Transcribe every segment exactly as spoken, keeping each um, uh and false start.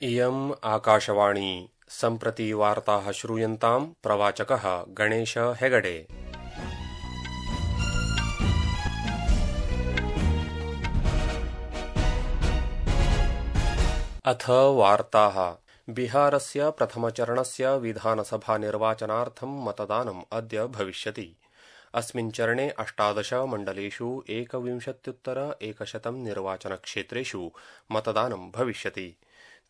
इयम् आकाशवाणी सम्प्रति वार्ताः श्रूयन्ताम् प्रवाचकः गणेश हेगडे। अथ वार्ताः। बिहारस्य प्रथमचरणस्य विधानसभानिर्वाचनार्थं मतदानम् अद्य भविष्यति। अस्मिन् चरणे अष्टादश मण्डलेषु एकविंशत्युत्तर एकशतं निर्वाचनक्षेत्रेषु मतदानं भविष्यति।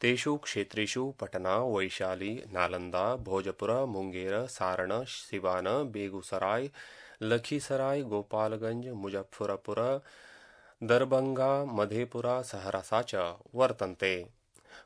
तेषु क्षेत्रेषु पटना, वैशाली, नालंदा, भोजपुर, मुंगेर, सारण, सिवान, बेगूसराय, लखीसराय, गोपालगंज, मुजफ्फरपुर, दरभंगा, मधेपुरा, सहरसा च वर्तन्ते।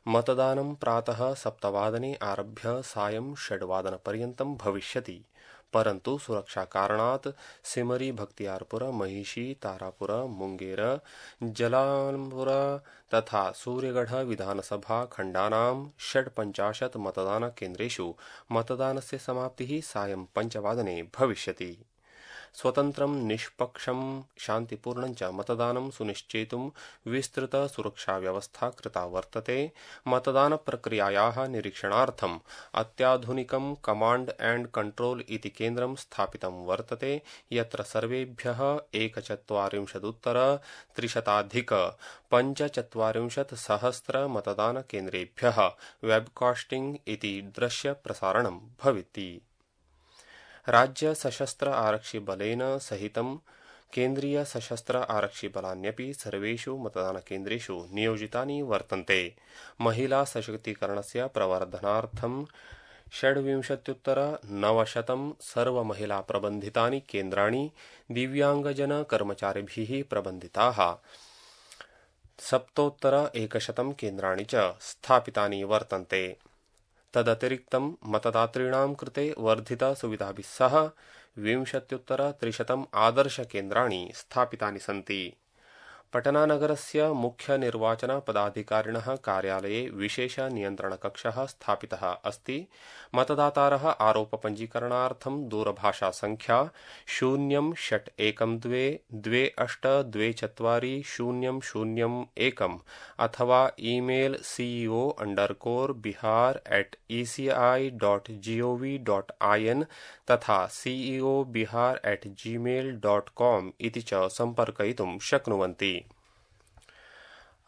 मतदानं प्रातः सप्तवादने आरभ्य सायं षड्वादनपर्यन्तं भविष्यति। परन्तु सुरक्षाकारणात् सिमरी, भक्तियारपुर, महिषी, तारापुर, मुंगेर, जलालपुर तथा सूर्यगढ़ विधानसभा खण्डानां षड्पञ्चाशत् मतदानकेन्द्रेषु मतदानस्य समाप्तिः सायं पञ्चवादने भविष्यति। स्वतन्त्रं, निष्पक्षं, शान्तिपूर्णं च मतदानं सुनिश्चेतुं विस्तृत सुरक्षाव्यवस्था कृता वर्तते। मतदानप्रक्रियायाः निरीक्षणार्थम् अत्याधुनिकं कमाण्ड् एण्ड् कण्ट्रोल् इति केन्द्रं स्थापितं वर्तते, यत्र सर्वेभ्यः एकचत्वारिंशदुत्तर त्रिशताधिक पञ्चचत्वारिंशत् सहस्र मतदानकेन्द्रेभ्यः वेब्कास्टिंग् इति दृश्यप्रसारणं भविष्यति। राज्य सशस्त्र आरक्षि बलेन सहितं केन्द्रीय सशस्त्र आरक्षि बलान्यपि सर्वेषु मतदानकेन्द्रेषु नियोजितानि वर्तन्ते। महिला सशक्तीकरणस्य प्रवर्धनार्थं षड्विंशत्युत्तर नवशतं सर्वमहिला प्रबन्धितानि केन्द्राणि दिव्यांगजन कर्मचारिभिः प्रबन्धिताः। सप्तोत्तर एकशतं केन्द्राणि च स्थापितानि वर्तन्ते। तदतिरिक्तं मतदातॄणां कृते वर्धिता सुविधाभिः सह विंशत्युत्तर त्रिशतम् आदर्शकेन्द्राणि स्थापितानि सन्ति। पटनानगरस्य मुख्य निर्वाचन पदाधिकारिणः कार्यालये विशेष नियन्त्रणकक्षः स्थापितः अस्ति। मतदातारः आरोपपञ्जीकरणार्थं दूरभाषा संख्या शून्यं षट् एकं द्वे द्वे अष्ट द्वे चत्वारि शून्यं शून्यम् एकम् अथवा email CEO underscore Bihar at ECI dot GOV dot IN तथा CEO Bihar at gmail dot com इति च सम्पर्कयितुं शक्नुवन्ति।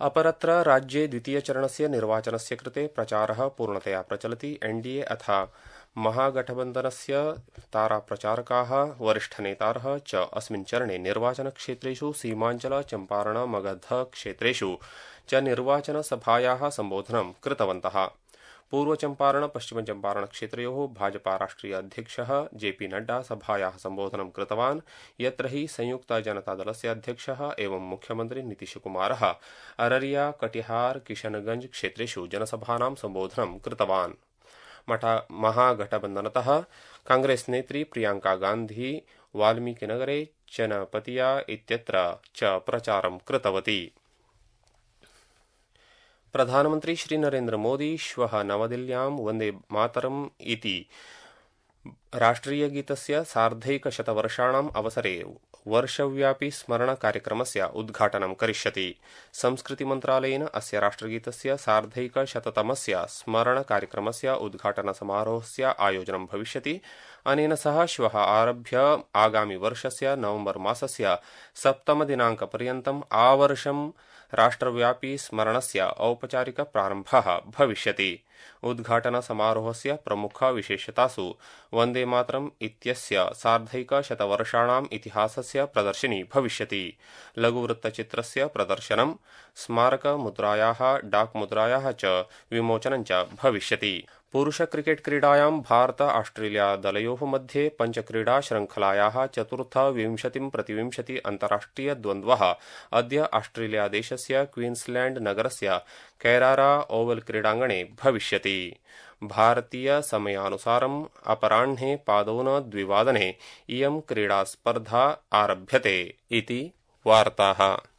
अपरत्र राज्ये द्वितीयचरणस्य निर्वाचनस्य कृते प्रचारः पूर्णतया प्रचलति। एनडीए अथा महागठबन्धनस्य ताराप्रचारकाः वरिष्ठनेतारः च अस्मिन् चरणे निर्वाचनक्षेत्रेषु सीमाञ्चल, चम्पारण, मगध क्षेत्रेषु च निर्वाचनसभायाः सम्बोधनं कृतवन्तः। पूर्वचम्पारण, पश्चिमचम्पारण क्षेत्रयोः भाजपा राष्ट्रीय अध्यक्षः जेपी नड्डा सभायाः सम्बोधनं कृतवान्, यत्र हि संयुक्तजनतादलस्य अध्यक्षः एवं मुख्यमन्त्री नीतीशकुमारः अररिया, कटिहार, किशनगंज क्षेत्रेषु जनसभानां सम्बोधनं कृतवान्। महागठबन्धनतः कांग्रेस नेत्री प्रियंका गान्धी वाल्मीकिनगरे, चनपतिया इत्यत्र च प्रचारं कृतवती। प्रधानमन्त्री श्री नरेन्द्र मोदी श्वः नवदिल्ल्यां वन्दे मातरम् इति राष्ट्रियगीतस्य सार्धैकशतवर्षाणाम् अवसरे वर्षव्यापी स्मरणकार्यक्रमस्य उद्घाटनं करिष्यति। संस्कृतिमन्त्रालयेन अस्य राष्ट्रगीतस्य सार्धैकशततमस्य स्मरणकार्यक्रमस्य उद्घाटनसमारोहस्य आयोजनं भविष्यति। अनेन सह श्वः आरभ्य आगामि वर्षस्य नवम्बर मासस्य सप्तमदिनाङ्कपर्यन्तम् आवर्षं राष्ट्रव्यापी स्मरणस्य औपचारिक प्रारम्भः भविष्यति। उद्घाटनसमारोहस्य प्रमुखा विशेषतासु वन्दे मातरम् इत्यस्य सार्धैकशतवर्षाणाम् इतिहासस्य प्रदर्शिनी भविष्यति। लघुवृत्तचित्रस्य प्रदर्शनं, स्मारकमुद्रायाः, डाकमुद्रायाः च विमोचनं च भविष्यति। पुरुष क्रिकेट क्रीडायां भारत ऑस्ट्रेलिया दलयोः मध्ये पञ्चक्रीडा श्रृङ्खलायाः चतुर्थ विंशतिं प्रतिविंशति अन्ताराष्ट्रिय द्वन्द्वः अद्य ऑस्ट्रेलिया देशस्य क्वीन्सलैंड नगरस्य कैरारा ओवल क्रीडाङ्गणे भविष्यति। भारतीय समयानुसारम् अपराह्ने पादोन द्विवादने इयं क्रीडास्पर्धा आरभ्यते इति वार्ताः।